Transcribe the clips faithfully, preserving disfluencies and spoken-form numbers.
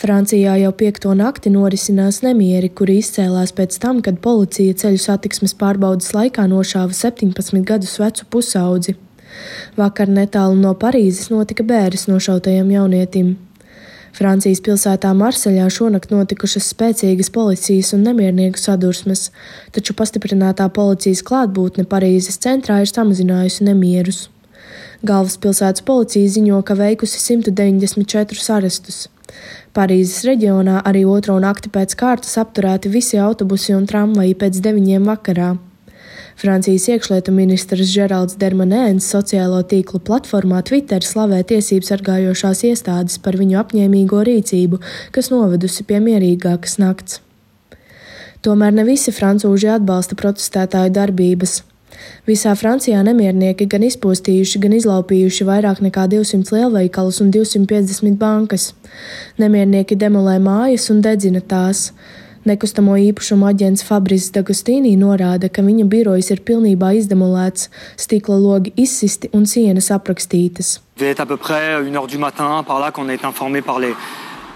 Francijā jau piekto nakti norisinās nemieri, kuri izcēlās pēc tam, kad policija ceļu satiksmes pārbaudes laikā nošāva septiņpadsmit gadus vecu pusaudzi. Vakar netālu no Parīzes notika bēres nošautajam jaunietim. Francijas pilsētā Marseļā šonakt notikušas spēcīgas policijas un nemiernieku sadursmes, taču pastiprinātā policijas klātbūtne Parīzes centrā ir samazinājusi nemierus. Galvaspilsētas policija ziņo, ka veikusi simt deviņdesmit četrus arestus. Parīzes reģionā arī otro nakti pēc kārtas apturēti visi autobusi un tramvaji pēc deviņiem vakarā. Francijas iekšlietu ministrs Žeralds Dermanēns sociālo tīklu platformā Twitter slavē tiesību sargājošās iestādes par viņu apņēmīgo rīcību, kas novedusi pie mierīgākas nakts. Tomēr ne visi francūži atbalsta protestētāju darbības. Visā Francijā nemiernieki gan izpostījuši, gan izlaupījuši vairāk nekā divsimt lielveikalus un divsimt piecdesmit bankas. Nemiernieki demolē mājas un dedzina tās. Nekustamo īpašumu aģents Fabrice D'Agostini norāda, ka viņa birojs ir pilnībā izdemolēts, stikla logi izsisti un sienas aprakstītas.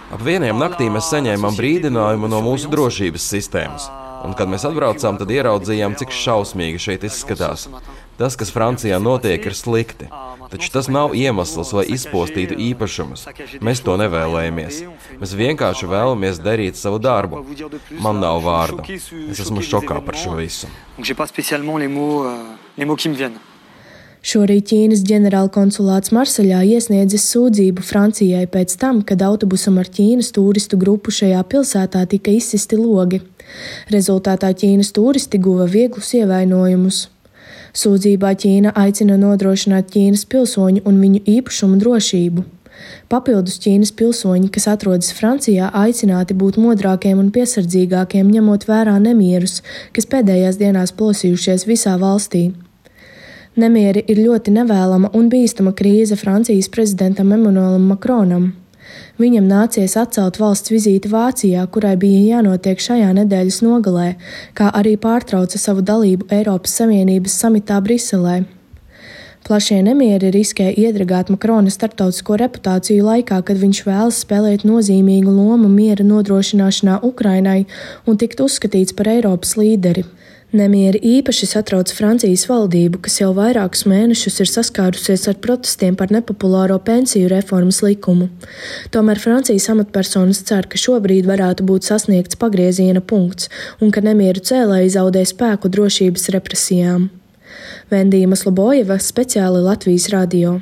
Ap vieniem naktī mēs saņēmām brīdinājumu no mūsu drošības sistēmas. Un, kad mēs atbraucām, tad ieraudzījām, cik šausmīgi šeit izskatās. Tas, kas Francijā notiek, ir slikti. Taču tas nav iemesls, lai izpostītu īpašumus. Mēs to nevēlējamies. Mēs vienkārši vēlamies darīt savu darbu. Man nav vārdu. Es esmu šokā par šo visu. Šorīt Ķīnas ģenerālkonsulāts Marseļā iesniedzis sūdzību Francijai pēc tam, kad autobusam ar Ķīnas turistu grupu šajā pilsētā tika izsisti logi. Rezultātā Ķīnas turisti guva vieglus ievainojumus. Sūdzībā Ķīna aicina nodrošināt Ķīnas pilsoņu un viņu īpašumu drošību. Papildus Ķīnas pilsoņi, kas atrodas Francijā, aicināti būt modrākiem un piesardzīgākiem, ņemot vērā nemierus, kas pēdējās dienās plosījušies visā valstī. Nemieri ir ļoti nevēlama un bīstama krīze Francijas prezidentam Emmanuelam Macronam. Viņam nācies atcelt valsts vizīti Vācijā, kurai bija jānotiek šajā nedēļas nogalē, kā arī pārtrauca savu dalību Eiropas Savienības samitā Briselē. Plašie nemieri riskē iedragāt Macrona starptautisko reputāciju laikā, kad viņš vēlas spēlēt nozīmīgu lomu miera nodrošināšanā Ukrainai un tikt uzskatīts par Eiropas līderi. Nemieri īpaši satrauc Francijas valdību, kas jau vairākus mēnešus ir saskārusies ar protestiem par nepopulāro pensiju reformas likumu. Tomēr Francijas amatpersonas cer, ka šobrīd varētu būt sasniegts pagrieziena punkts un ka nemieru cēlēji zaudē spēku drošības represijām. Vendija Maslobojeva, speciāli Latvijas radio.